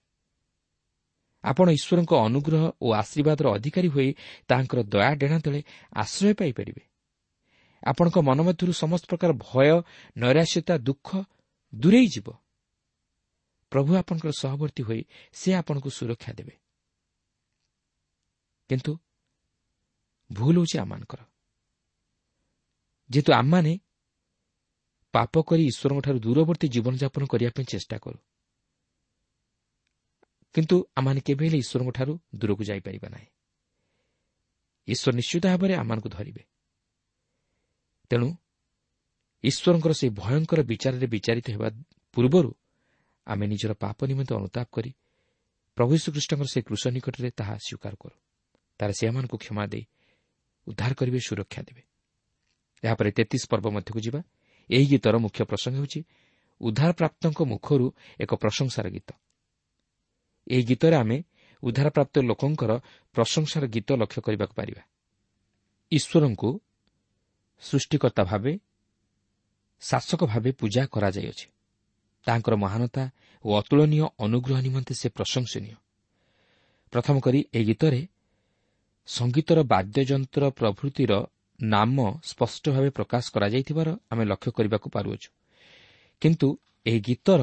Speaker 3: ଆପଣ ଈଶ୍ୱରଙ୍କ ଅନୁଗ୍ରହ ଓ ଆଶୀର୍ବାଦର ଅଧିକାରୀ ହୋଇ ତାହାଙ୍କର ଦୟା ଡେଣା ତଳେ ଆଶ୍ରୟ ପାଇପାରିବେ। ଆପଣଙ୍କ ମନ ମଧ୍ୟରୁ ସମସ୍ତ ପ୍ରକାର ଭୟ, ନୈରାଶ୍ୟତା, ଦୁଃଖ ଦୂରେଇ ଯିବ। ପ୍ରଭୁ ଆପଣଙ୍କର ସହବର୍ତ୍ତୀ ହୋଇ ସେ ଆପଣଙ୍କୁ ସୁରକ୍ଷା ଦେବେ। କିନ୍ତୁ ଭୁଲ ହେଉଛି ଆମମାନଙ୍କର, ଯେହେତୁ ଆମମାନେ ପାପ କରି ଈଶ୍ୱରଙ୍କଠାରୁ ଦୂରବର୍ତ୍ତୀ ଜୀବନଯାପନ କରିବା ପାଇଁ ଚେଷ୍ଟା କରୁ, କିନ୍ତୁ ଆମମାନେ କେବେ ହେଲେ ଈଶ୍ୱରଙ୍କଠାରୁ ଦୂରକୁ ଯାଇପାରିବା ନାହିଁ। ଈଶ୍ୱର ନିଶ୍ଚିତ ଭାବରେ ଆମମାନଙ୍କୁ ଧରିବେ। ତେଣୁ ଈଶ୍ୱରଙ୍କର ସେହି ଭୟଙ୍କର ବିଚାରରେ ବିଚାରିତ ହେବା ପୂର୍ବରୁ ଆମେ ନିଜର ପାପ ନିମନ୍ତେ ଅନୁତାପ କରି ପ୍ରଭୁ ଯୀଶୁଖ୍ରୀଷ୍ଟଙ୍କର ସେହି କ୍ରୁଶ ନିକଟରେ ତାହା ସ୍ୱୀକାର କରୁ। ତାହେଲେ ସେ ଆମମାନଙ୍କୁ କ୍ଷମା ଦେଇ ଉଦ୍ଧାର କରିବେ, ସୁରକ୍ଷା ଦେବେ। ଏହାପରେ 33 ପର୍ବ ମଧ୍ୟକୁ ଯିବା। ଏହି ଗୀତର ମୁଖ୍ୟ ପ୍ରସଙ୍ଗ ହେଉଛି ଉଦ୍ଧାରପ୍ରାପ୍ତଙ୍କ ମୁଖରୁ ଏକ ପ୍ରଶଂସାର ଗୀତ। ଏହି ଗୀତରେ ଆମେ ଉଦ୍ଧାରପ୍ରାପ୍ତ ଲୋକଙ୍କର ପ୍ରଶଂସାର ଗୀତ ଲକ୍ଷ୍ୟ କରିବାକୁ ପାରିବା। ଈଶ୍ୱରଙ୍କୁ ସୃଷ୍ଟିକର୍ତ୍ତା ଭାବେ, ଶାସକ ଭାବେ ପୂଜା କରାଯାଇଅଛି। ତାହାଙ୍କର ମହାନତା ଓ ଅତୁଳନୀୟ ଅନୁଗ୍ରହ ନିମନ୍ତେ ସେ ପ୍ରଶଂସନୀୟ। ପ୍ରଥମ କରି ଏହି ଗୀତରେ ସଙ୍ଗୀତର ବାଦ୍ୟଯନ୍ତ୍ର ପ୍ରଭୃତିର ନାମ ସ୍ପଷ୍ଟ ଭାବେ ପ୍ରକାଶ କରାଯାଇଥିବାର ଆମେ ଲକ୍ଷ୍ୟ କରିବାକୁ ପାରୁଅଛୁ, କିନ୍ତୁ ଏହି ଗୀତର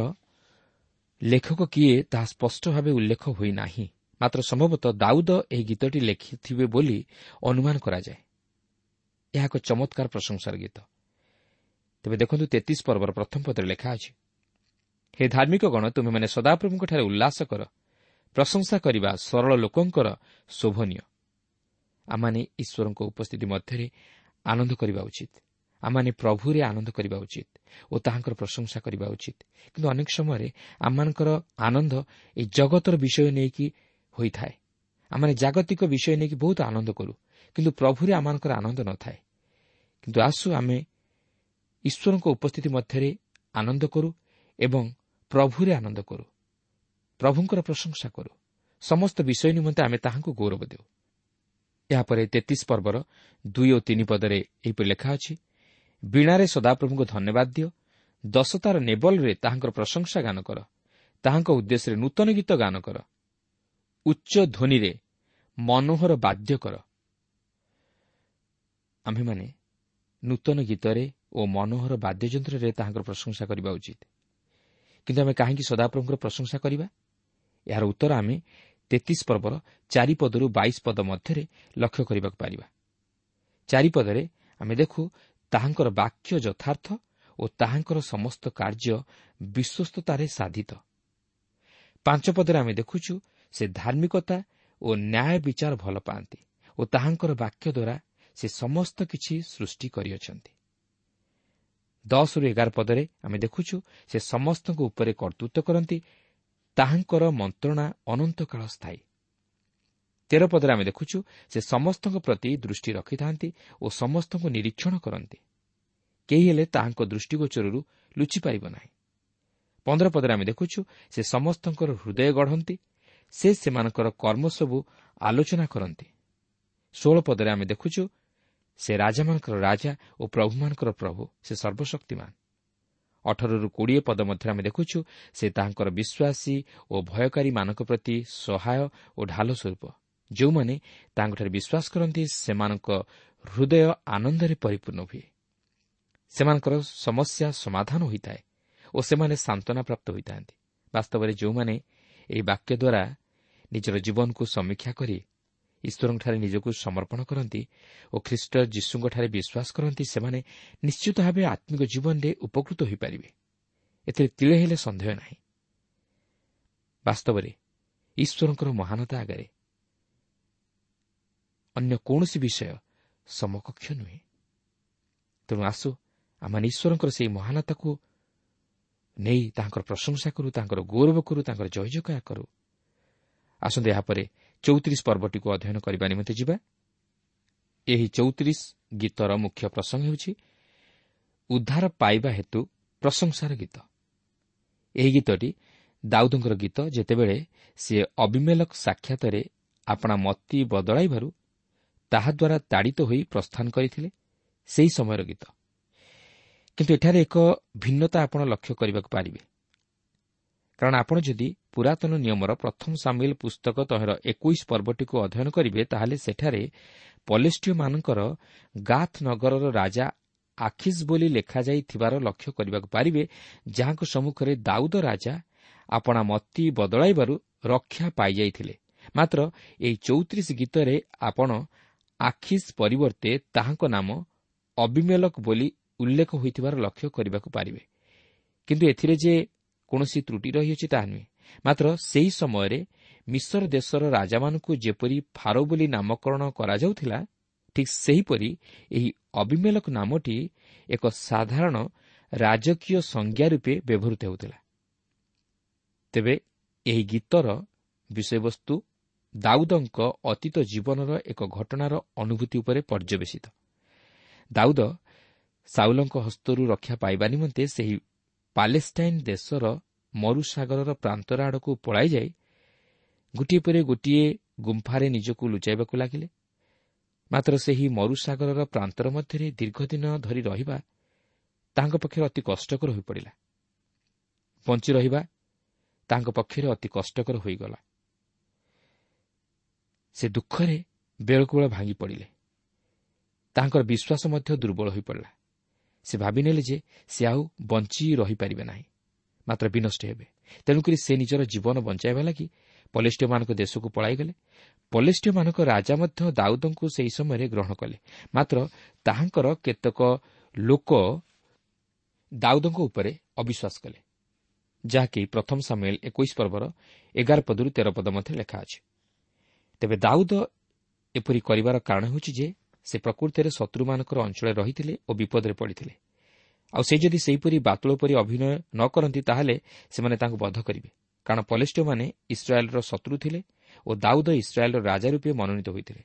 Speaker 3: ଲେଖକ କିଏ ତାହା ସ୍ପଷ୍ଟ ଭାବେ ଉଲ୍ଲେଖ ହୋଇନାହିଁ। ମାତ୍ର ସମ୍ଭବତଃ ଦାଉଦ ଏହି ଗୀତଟି ଲେଖିଥିବେ ବୋଲି ଅନୁମାନ କରାଯାଏ। ଏହା ଏକ ଚମତ୍କାର ପ୍ରଶଂସାର ଗୀତ। ତେବେ ଦେଖନ୍ତୁ, 33 ପର୍ବର ପ୍ରଥମ ପଦରେ ଲେଖା ଅଛି, ହେ ଧାର୍ମିକ ଗଣ, ତୁମେମାନେ ସଦାପ୍ରଭୁଙ୍କଠାରେ ଉଲ୍ଲାସ କର, ପ୍ରଶଂସା କରିବା ସରଳ ଲୋକଙ୍କର ଶୋଭନୀୟ। ଆମମାନେ ଈଶ୍ୱରଙ୍କ ଉପସ୍ଥିତି ମଧ୍ୟରେ ଆନନ୍ଦ କରିବା ଉଚିତ। ଆମମାନେ ପ୍ରଭୁରେ ଆନନ୍ଦ କରିବା ଉଚିତ ଓ ତାହାଙ୍କର ପ୍ରଶଂସା କରିବା ଉଚିତ। କିନ୍ତୁ ଅନେକ ସମୟରେ ଆମମାନଙ୍କର ଆନନ୍ଦ ଏହି ଜଗତର ବିଷୟ ନେଇକି ହୋଇଥାଏ। ଆମମାନେ ଜାଗତିକ ବିଷୟ ନେଇକି ବହୁତ ଆନନ୍ଦ କରୁ, କିନ୍ତୁ ପ୍ରଭୁରେ ଆମମାନଙ୍କର ଆନନ୍ଦ ନଥାଏ। କିନ୍ତୁ ଆସୁ ଆମେ ଈଶ୍ୱରଙ୍କ ଉପସ୍ଥିତି ମଧ୍ୟରେ ଆନନ୍ଦ କରୁ ଏବଂ ପ୍ରଭୁରେ ଆନନ୍ଦ କରୁ, ପ୍ରଭୁଙ୍କର ପ୍ରଶଂସା କରୁ। ସମସ୍ତ ବିଷୟ ନିମନ୍ତେ ଆମେ ତାହାଙ୍କୁ ଗୌରବ ଦେଉ। ଏହାପରେ 33 ପର୍ବର 2 ଓ 3 ପଦରେ ଏହିପରି ଲେଖା ଅଛି, ବୀଣାରେ ସଦାପ୍ରଭୁଙ୍କୁ ଧନ୍ୟବାଦ ଦିଅ, ଦଶତାର ନେବଲରେ ତାହାଙ୍କର ପ୍ରଶଂସା ଗାନ କର, ତାହାଙ୍କ ଉଦ୍ଦେଶ୍ୟରେ ନୂତନ ଗୀତ ଗାନ କର, ଉଚ୍ଚ ଧ୍ୱନିରେ ମନୋହର ବାଦ୍ୟ କର। ଆମ୍ଭେମାନେ ନୂତନ ଗୀତରେ ଓ ମନୋହର ବାଦ୍ୟଯନ୍ତ୍ରରେ ତାହାଙ୍କର ପ୍ରଶଂସା କରିବା ଉଚିତ। କିନ୍ତୁ ଆମେ କାହିଁକି ସଦାପ୍ରଭୁଙ୍କର ପ୍ରଶଂସା କରିବା? ଏହାର ଉତ୍ତର ଆମେ 33 ପର୍ବର 4 ପଦରୁ 22 ପଦ ମଧ୍ୟରେ ଲକ୍ଷ୍ୟ କରିବାକୁ ପାରିବା। 4 ପଦରେ ଆମେ ଦେଖୁ, ତାହାଙ୍କର ବାକ୍ୟ ଯଥାର୍ଥ ଓ ତାହାଙ୍କର ସମସ୍ତ କାର୍ଯ୍ୟ ବିଶ୍ୱସ୍ତତାରେ ସାଧିତ। 5 ପଦରେ ଆମେ ଦେଖୁଛୁ, ସେ ଧାର୍ମିକତା ଓ ନ୍ୟାୟ ବିଚାର ଭଲ ପାଆନ୍ତି ଓ ତାହାଙ୍କର ବାକ୍ୟ ଦ୍ୱାରା ସେ ସମସ୍ତ କିଛି ସୃଷ୍ଟି କରିଅଛନ୍ତି। 10ରୁ 11 ପଦରେ ଆମେ ଦେଖୁଛୁ, ସେ ସମସ୍ତଙ୍କ ଉପରେ କର୍ତ୍ତୃତ୍ୱ କରନ୍ତି, ତାହାଙ୍କର ମନ୍ତ୍ରଣା ଅନନ୍ତକାଳ ସ୍ଥାୟୀ। 13 ପଦରେ ଆମେ ଦେଖୁଛୁ, ସେ ସମସ୍ତଙ୍କ ପ୍ରତି ଦୃଷ୍ଟି ରଖିଥାନ୍ତି ଓ ସମସ୍ତଙ୍କୁ ନିରୀକ୍ଷଣ କରନ୍ତି, କେହି ହେଲେ ତାହାଙ୍କ ଦୃଷ୍ଟିଗୋଚରରୁ ଲୁଚିପାରିବ ନାହିଁ। 15 ପଦରେ ଆମେ ଦେଖୁଛୁ, ସେ ସମସ୍ତଙ୍କର ହୃଦୟ ଗଢ଼ନ୍ତି, ସେ ସେମାନଙ୍କର କର୍ମ ସବୁ ଆଲୋଚନା କରନ୍ତି। 16 ପଦରେ ଆମେ ଦେଖୁଛୁ, ସେ ରାଜାମାନଙ୍କର ରାଜା ଓ ପ୍ରଭୁମାନଙ୍କର ପ୍ରଭୁ, ସେ ସର୍ବଶକ୍ତିମାନ। 18ରୁ 20 ପଦ ମଧ୍ୟରେ ଆମେ ଦେଖୁଛୁ, ସେ ତାହାଙ୍କର ବିଶ୍ୱାସୀ ଓ ଭୟକାରୀମାନଙ୍କ ପ୍ରତି ସହାୟ ଓ ଢାଲ ସ୍ୱରୂପ। ଯେଉଁମାନେ ତାଙ୍କଠାରେ ବିଶ୍ୱାସ କରନ୍ତି ସେମାନଙ୍କ ହୃଦୟ ଆନନ୍ଦରେ ପରିପୂର୍ଣ୍ଣ ହୁଏ, ସେମାନଙ୍କର ସମସ୍ୟା ସମାଧାନ ହୋଇଥାଏ ଓ ସେମାନେ ସାନ୍ତ୍ୱନା ପ୍ରାପ୍ତ ହୋଇଥାନ୍ତି। ବାସ୍ତବରେ ଯେଉଁମାନେ ଏହି ବାକ୍ୟ ଦ୍ୱାରା ନିଜର ଜୀବନକୁ ସମୀକ୍ଷା କରି ଈଶ୍ୱରଙ୍କଠାରେ ନିଜକୁ ସମର୍ପଣ କରନ୍ତି ଓ ଖ୍ରୀଷ୍ଟ ଯୀଶୁଙ୍କଠାରେ ବିଶ୍ୱାସ କରନ୍ତି, ସେମାନେ ନିଶ୍ଚିତ ଭାବେ ଆତ୍ମିକ ଜୀବନରେ ଉପକୃତ ହୋଇପାରିବେ, ଏଥିରେ ତିଳେ ହେଲେ ସନ୍ଦେହ ନାହିଁ। ବାସ୍ତବରେ ଈଶ୍ୱରଙ୍କର ମହାନତା ଆଗରେ ଅନ୍ୟ କୌଣସି ବିଷୟ ସମକକ୍ଷ ନୁହେଁ। ତେଣୁ ଆସୁ ଆମମାନେ ଈଶ୍ୱରଙ୍କର ସେହି ମହାନତାକୁ ନେଇ ତାଙ୍କର ପ୍ରଶଂସା କରୁ, ତାଙ୍କର ଗୌରବ କରୁ, ତାଙ୍କର ଜୟ ଜୟକାର କରୁ। ଆସନ୍ତୁ ଏହାପରେ 34 ପର୍ବଟିକୁ ଅଧ୍ୟୟନ କରିବା ନିମନ୍ତେ ଯିବା। ଏହି 34 ଗୀତର ମୁଖ୍ୟ ପ୍ରସଙ୍ଗ ହେଉଛି ଉଦ୍ଧାର ପାଇବା ହେତୁ ପ୍ରଶଂସାର ଗୀତ। ଏହି ଗୀତଟି ଦାଉଦଙ୍କର ଗୀତ, ଯେତେବେଳେ ସିଏ ଅବିମେଲକ ସାକ୍ଷାତରେ ଆପଣା ମତି ବଦଳାଇବାରୁ ତାହାଦ୍ୱାରା ତାଡ଼ିତ ହୋଇ ପ୍ରସ୍ଥାନ କରିଥିଲେ, ସେହି ସମୟର ଗୀତ। କିନ୍ତୁ ଏଠାରେ ଏକ ଭିନ୍ନତା ଆପଣ ଲକ୍ଷ୍ୟ କରିବାକୁ ପାରିବେ, କାରଣ ଆପଣ ଯଦି ପୁରାତନ ନିୟମର ପ୍ରଥମ ସାମୁଏଲ ପୁସ୍ତକ ତହିଁର 21 ପର୍ବଟିକୁ ଅଧ୍ୟୟନ କରିବେ, ତାହେଲେ ସେଠାରେ ପଲେଷ୍ଟିୟମାନଙ୍କର ଗାଥ ନଗରର ରାଜା ଆଖିସ୍ ବୋଲି ଲେଖାଯାଇଥିବାର ଲକ୍ଷ୍ୟ କରିବାକୁ ପାରିବେ, ଯାହାଙ୍କ ସମ୍ମୁଖରେ ଦାଉଦ ରାଜା ଆପଣା ମତି ବଦଳାଇବାରୁ ରକ୍ଷା ପାଇଯାଇଥିଲେ। ମାତ୍ର ଏହି 34 ଗୀତରେ ଆପଣ ଆଖିସ୍ ପରିବର୍ତ୍ତେ ତାହାଙ୍କ ନାମ ଅବିମେଲକ ବୋଲି ଉଲ୍ଲେଖ ହୋଇଥିବାର ଲକ୍ଷ୍ୟ କରିବାକୁ ପାରିବେ। କିନ୍ତୁ ଏଥିରେ ଯେ କୌଣସି ତ୍ରୁଟି ରହିଅଛି ତାହା ନୁହେଁ। ମାତ୍ର ସେହି ସମୟରେ ମିଶର ଦେଶର ରାଜାମାନଙ୍କୁ ଯେପରି ଫାରୋ ବୋଲି ନାମକରଣ କରାଯାଉଥିଲା, ଠିକ୍ ସେହିପରି ଏହି ଅବିମେଲକ ନାମଟି ଏକ ସାଧାରଣ ରାଜକୀୟ ସଂଜ୍ଞା ରୂପେ ବ୍ୟବହୃତ ହେଉଥିଲା। ତେବେ ଏହି ଗୀତର ବିଷୟବସ୍ତୁ ଦାଉଦଙ୍କ ଅତୀତ ଜୀବନର ଏକ ଘଟଣାର ଅନୁଭୂତି ଉପରେ ପର୍ଯ୍ୟବେସିତ। ଦାଉଦ ସାଉଲଙ୍କ ହସ୍ତରୁ ରକ୍ଷା ପାଇବା ନିମନ୍ତେ ସେହି ପାଲେଷ୍ଟାଇନ୍ ଦେଶର ମରୁସାଗରର ପ୍ରାନ୍ତର ଆଡ଼କୁ ପଳାଇଯାଇ ଗୋଟିଏ ପରେ ଗୋଟିଏ ଗୁମ୍ଫାରେ ନିଜକୁ ଲୁଚାଇବାକୁ ଲାଗିଲେ। ମାତ୍ର ସେହି ମରୁସାଗରର ପ୍ରାନ୍ତର ମଧ୍ୟରେ ଦୀର୍ଘଦିନ ଧରି ରହିବା ତାଙ୍କ ପକ୍ଷରେ ଅତି କଷ୍ଟକର ହୋଇପଡ଼ିଲା। ବଞ୍ଚି ରହିବା ତାଙ୍କ ପକ୍ଷରେ ଅତି କଷ୍ଟକର ହୋଇଗଲା। ସେ ଦୁଃଖରେ ବେଳକୁବେଳ ଭାଙ୍ଗି ପଡ଼ିଲେ। ତାଙ୍କର ବିଶ୍ୱାସ ମଧ୍ୟ ଦୁର୍ବଳ ହୋଇପଡ଼ିଲା। ସେ ଭାବିନେଲେ ଯେ ସେ ଆଉ ବଞ୍ଚି ରହିପାରିବେ ନାହିଁ, ମାତ୍ର ବିନଷ୍ଟ ହେବେ। ତେଣୁକରି ସେ ନିଜର ଜୀବନ ବଞ୍ଚାଇବା ଲାଗି ପଲେଷ୍ଟିୟମାନଙ୍କ ଦେଶକୁ ପଳାଇଗଲେ। ପଲେଷ୍ଟିୟମାନଙ୍କ ରାଜା ମଧ୍ୟ ଦାଉଦଙ୍କୁ ସେହି ସମୟରେ ଗ୍ରହଣ କଲେ। ମାତ୍ର ତାହାଙ୍କର କେତେକ ଲୋକ ଦାଉଦଙ୍କ ଉପରେ ଅବିଶ୍ୱାସ କଲେ, ଯାହାକି ପ୍ରଥମ ସାମୁଏଲ 21 ପର୍ବର 11 ପଦରୁ 13 ପଦ ମଧ୍ୟରେ ଲେଖା ଅଛି। ତେବେ ଦାଉଦ ଏପରି କରିବାର କାରଣ ହେଉଛି ଯେ ସେ ପ୍ରକୃତରେ ଶତ୍ରୁମାନଙ୍କର ଅଞ୍ଚଳରେ ରହିଥିଲେ ଓ ବିପଦରେ ପଡ଼ିଥିଲେ। ଆଉ ସେ ଯଦି ସେହିପରି ବାତୁଳ ପରି ଅଭିନୟ ନ କରନ୍ତି, ତାହେଲେ ସେମାନେ ତାଙ୍କୁ ବଧ କରିବେ, କାରଣ ପଲେଷ୍ଟିୟମାନେ ଇସ୍ରାଏଲ୍ର ଶତ୍ରୁ ଥିଲେ ଓ ଦାଉଦ ଇସ୍ରାଏଲ୍ର ରାଜା ରୂପେ ମନୋନୀତ ହୋଇଥିଲେ।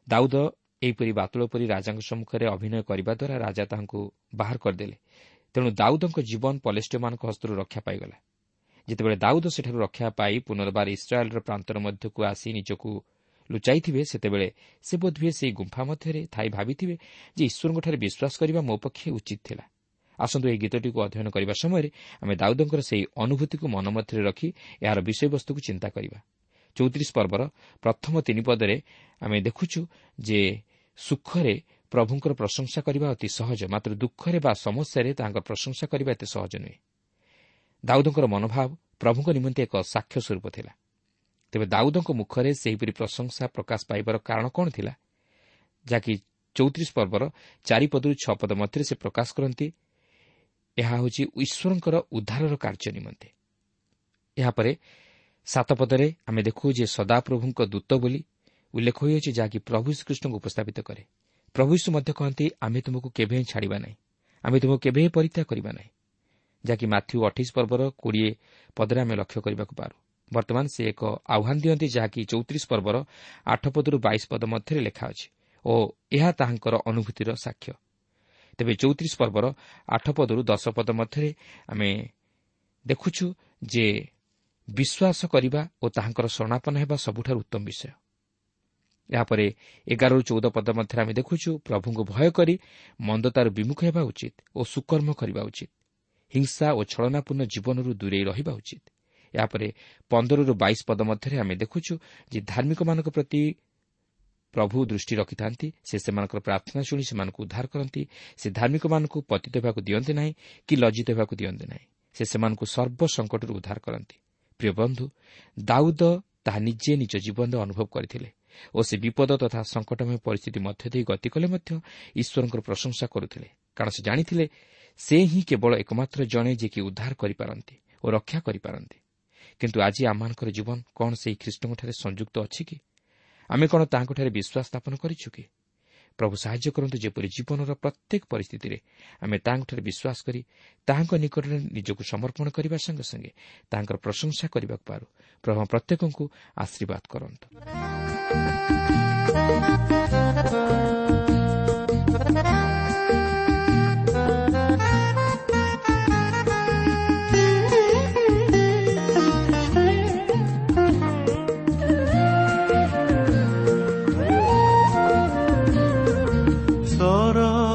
Speaker 3: ଦାଉଦ ଏହିପରି ବାତୁଳ ପରି ରାଜାଙ୍କ ସମ୍ମୁଖରେ ଅଭିନୟ କରିବା ଦ୍ୱାରା ରାଜା ତାହାଙ୍କୁ ବାହାର କରିଦେଲେ। ତେଣୁ ଦାଉଦଙ୍କ ଜୀବନ ପଲେଷ୍ଟିୟମାନଙ୍କ ହସ୍ତରୁ ରକ୍ଷା ପାଇଗଲା। ଯେତେବେଳେ ଦାଉଦ ସେଠାରୁ ରକ୍ଷା ପାଇ ପୁନର୍ବାର ଇସ୍ରାଏଲ୍ର ପ୍ରାନ୍ତର ମଧ୍ୟକୁ ଆସି ନିଜକୁ ଲୁଚାଇଥିବେ, ସେତେବେଳେ ସେ ବୋଧହୁଏ ସେହି ଗୁମ୍ଫା ମଧ୍ୟରେ ଥାଇ ଭାବିଥିବେ ଯେ ଈଶ୍ୱରଙ୍କଠାରେ ବିଶ୍ୱାସ କରିବା ମୋ ପକ୍ଷେ ଉଚିତ ଥିଲା। ଆସନ୍ତୁ ଏହି ଗୀତଟିକୁ ଅଧ୍ୟୟନ କରିବା ସମୟରେ ଆମେ ଦାଉଦଙ୍କର ସେହି ଅନୁଭୂତିକୁ ମନ ମଧ୍ୟରେ ରଖି ଏହାର ବିଷୟବସ୍ତୁକୁ ଚିନ୍ତା କରିବା। 34 ପର୍ବର ପ୍ରଥମ 3 ପଦରେ ଆମେ ଦେଖୁଛୁ ଯେ ସୁଖରେ ପ୍ରଭୁଙ୍କର ପ୍ରଶଂସା କରିବା ଅତି ସହଜ, ମାତ୍ର ଦୁଃଖରେ ବା ସମସ୍ୟାରେ ତାହାଙ୍କ ପ୍ରଶଂସା କରିବା ଏତେ ସହଜ ନୁହେଁ। ଦାଉଦଙ୍କର ମନୋଭାବ ପ୍ରଭୁଙ୍କ ନିମନ୍ତେ ଏକ ସାକ୍ଷ୍ୟ ସ୍ୱରୂପ ଥିଲା। ତେବେ ଦାଉଦଙ୍କ ମୁଖରେ ସେହିପରି ପ୍ରଶଂସା ପ୍ରକାଶ ପାଇବାର କାରଣ କ'ଣ ଥିଲା, ଯାହାକି 34 ପର୍ବର 4 ପଦରୁ 6 ପଦ ମଧ୍ୟରେ ସେ ପ୍ରକାଶ କରନ୍ତି, ଏହା ହେଉଛି ଈଶ୍ୱରଙ୍କର ଉଦ୍ଧାରର କାର୍ଯ୍ୟ ନିମନ୍ତେ। ଏହାପରେ 7 ପଦରେ ଆମେ ଦେଖୁ ଯେ ସଦାପ୍ରଭୁଙ୍କ ଦୂତ ବୋଲି ଉଲ୍ଲେଖ ହୋଇଅଛି, ଯାହାକି ପ୍ରଭୁ ଶ୍ରୀକୃଷ୍ଣଙ୍କୁ ଉପସ୍ଥାପିତ କରେ। ପ୍ରଭୁ ଯୀଶୁ ମଧ୍ୟ କହନ୍ତି, ଆମେ ତୁମକୁ କେବେ ହିଁ ଛାଡ଼ିବା ନାହିଁ, ଆମେ ତୁମକୁ କେବେ ହିଁ ପରିତ୍ୟାଗ କରିବା ନାହିଁ, ଯାହାକି ମାଥ୍ୟୁ 28 ପର୍ବର 20 ପଦରେ ଆମେ ଲକ୍ଷ୍ୟ କରିବାକୁ ପାରୁ। ବର୍ତ୍ତମାନ ସେ ଏକ ଆହ୍ୱାନ ଦିଅନ୍ତି, ଯାହାକି 34 ପର୍ବର 8 ପଦରୁ 22 ପଦ ମଧ୍ୟରେ ଲେଖା ଅଛି ଓ ଏହା ତାହାଙ୍କର ଅନୁଭୂତିର ସାକ୍ଷ୍ୟ। ତେବେ 34 ପର୍ବର 8 ପଦରୁ 10 ପଦ ମଧ୍ୟରେ ଆମେ ଦେଖୁଛୁ ଯେ ବିଶ୍ୱାସ କରିବା ଓ ତାହାଙ୍କର ଶରଣାପନ୍ନ ହେବା ସବୁଠାରୁ ଉତ୍ତମ ବିଷୟ। ଏହାପରେ 11ରୁ 14 ପଦ ମଧ୍ୟରେ ଆମେ ଦେଖୁଛୁ ପ୍ରଭୁଙ୍କୁ ଭୟ କରି ମନ୍ଦତାରୁ ବିମୁଖ ହେବା ଉଚିତ ଓ ସୁକର୍ମ କରିବା ଉଚିତ, ହିଂସା ଓ ଛଳନାପୂର୍ଣ୍ଣ ଜୀବନରୁ ଦୂରେଇ ରହିବା ଉଚିତ। ଏହାପରେ 15ରୁ 22 ପଦ ମଧ୍ୟରେ ଆମେ ଦେଖୁଛୁ ଯେ ଧାର୍ମିକମାନଙ୍କ ପ୍ରତି ପ୍ରଭୁ ଦୃଷ୍ଟି ରଖିଥାନ୍ତି, ସେ ସେମାନଙ୍କର ପ୍ରାର୍ଥନା ଶୁଣି ସେମାନଙ୍କୁ ଉଦ୍ଧାର କରନ୍ତି। ସେ ଧାର୍ମିକମାନଙ୍କୁ ପତିତ ହେବାକୁ ଦିଅନ୍ତି ନାହିଁ କି ଲଜ୍ଜିତ ହେବାକୁ ଦିଅନ୍ତି ନାହିଁ, ସେ ସେମାନଙ୍କୁ ସର୍ବ ସଙ୍କଟରୁ ଉଦ୍ଧାର କରନ୍ତି। ପ୍ରିୟ ବନ୍ଧୁ, ଦାଉଦ ତାହା ନିଜେ ନିଜ ଜୀବନରେ ଅନୁଭବ କରିଥିଲେ ଓ ସେ ବିପଦ ତଥା ସଙ୍କଟମୟ ପରିସ୍ଥିତି ମଧ୍ୟ ଦେଇ ଗତି କଲେ ମଧ୍ୟ ଈଶ୍ୱରଙ୍କର ପ୍ରଶଂସା କରୁଥିଲେ, କାରଣ ସେ ଜାଣିଥିଲେ ସେ ହିଁ କେବଳ ଏକମାତ୍ର ଜଣେ ଯିଏକି ଉଦ୍ଧାର କରିପାରନ୍ତି ଓ ରକ୍ଷା କରିପାରନ୍ତି। କିନ୍ତୁ ଆଜି ଆମମାନଙ୍କର ଜୀବନ କ'ଣ ସେହି ଖ୍ରୀଷ୍ଟଙ୍କଠାରେ ସଂଯୁକ୍ତ ଅଛି କି? ଆମେ କ'ଣ ତାହାଙ୍କଠାରେ ବିଶ୍ୱାସ ସ୍ଥାପନ କରିଛୁ କି? ପ୍ରଭୁ ସାହାଯ୍ୟ କରନ୍ତୁ ଯେପରି ଜୀବନର ପ୍ରତ୍ୟେକ ପରିସ୍ଥିତିରେ ଆମେ ତାହାଙ୍କଠାରେ ବିଶ୍ୱାସ କରି ତାହାଙ୍କ ନିକଟରେ ନିଜକୁ ସମର୍ପଣ କରିବା ସଙ୍ଗେ ସଙ୍ଗେ ତାହାଙ୍କର ପ୍ରଶଂସା କରିବାକୁ ପାରୁ। ପ୍ରଭୁ ପ୍ରତ୍ୟେକଙ୍କୁ ଆଶୀର୍ବାଦ କରନ୍ତୁ।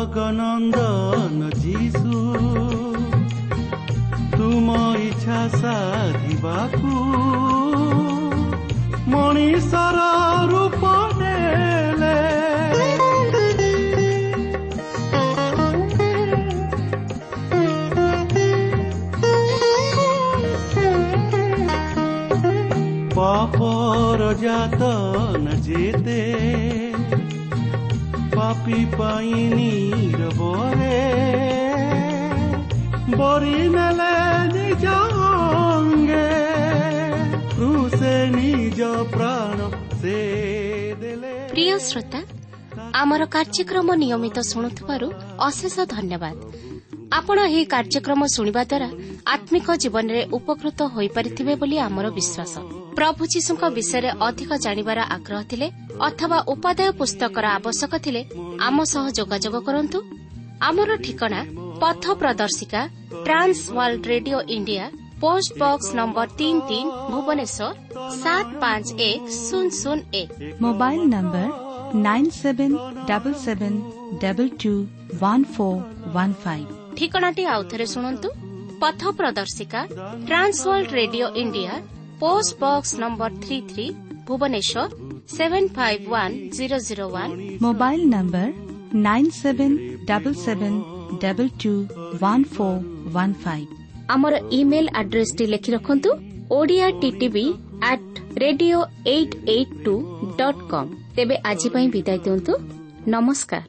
Speaker 2: ସରଗନନ୍ଦନ ଯୀଶୁ ତୁମ ଇଚ୍ଛା ସାଧିବାକୁ ମଣିଷର ରୂପ ନେଲେ, ପାପର ଯାତନା ଯେତେ ପାପି ପାଇଁ ନୀରବରେ ବରି ନେଲେ ନିଜ ଅଙ୍ଗେ, କ୍ରୁଶେ ନିଜ ପ୍ରାଣ ସେ ଦେଲେ।
Speaker 1: ପ୍ରିୟ ଶ୍ରୋତା, ଆମର କାର୍ଯ୍ୟକ୍ରମ ନିୟମିତ ଶୁଣୁଥିବାରୁ ଅଶେଷ ଧନ୍ୟବାଦ। ଆପଣ ଏହି କାର୍ଯ୍ୟକ୍ରମ ଶୁଣିବା ଦ୍ୱାରା ଆତ୍ମିକ ଜୀବନରେ ଉପକୃତ ହୋଇପାରିଥିବେ ବୋଲି ଆମର ବିଶ୍ୱାସ। ପ୍ରଭୁ ଯୀଶୁଙ୍କ ବିଷୟରେ ଅଧିକ ଜାଣିବାର ଆଗ୍ରହ ଥିଲେ ଅଥବା ଉପାଦେୟ ପୁସ୍ତକର ଆବଶ୍ୟକ ଥିଲେ ଆମ ସହ ଯୋଗାଯୋଗ କରନ୍ତୁ। ଆମର ଠିକଣା ପଥ ପ୍ରଦର୍ଶିକା, Trans World Radio India, post box number 33, Bhubaneswar 751001।
Speaker 4: Mobile number 9777221415।
Speaker 1: ଠିକଣାଟି ଆଉଥରେ ଶୁଣନ୍ତୁ। ପଥ ପ୍ରଦର୍ଶିକା, Trans World Radio India, post box number 33, Bhubaneswar 751001।
Speaker 4: Mobile number 9777221415।
Speaker 1: ଆମର ଇମେଲ୍ ଆଡ୍ରେସଟି ଲେଖି ରଖନ୍ତୁ, Odia TTV at radio 882.com। ତେବେ ଆଜି ପାଇଁ ବିଦାୟ ଦିଅନ୍ତୁ। ନମସ୍କାର।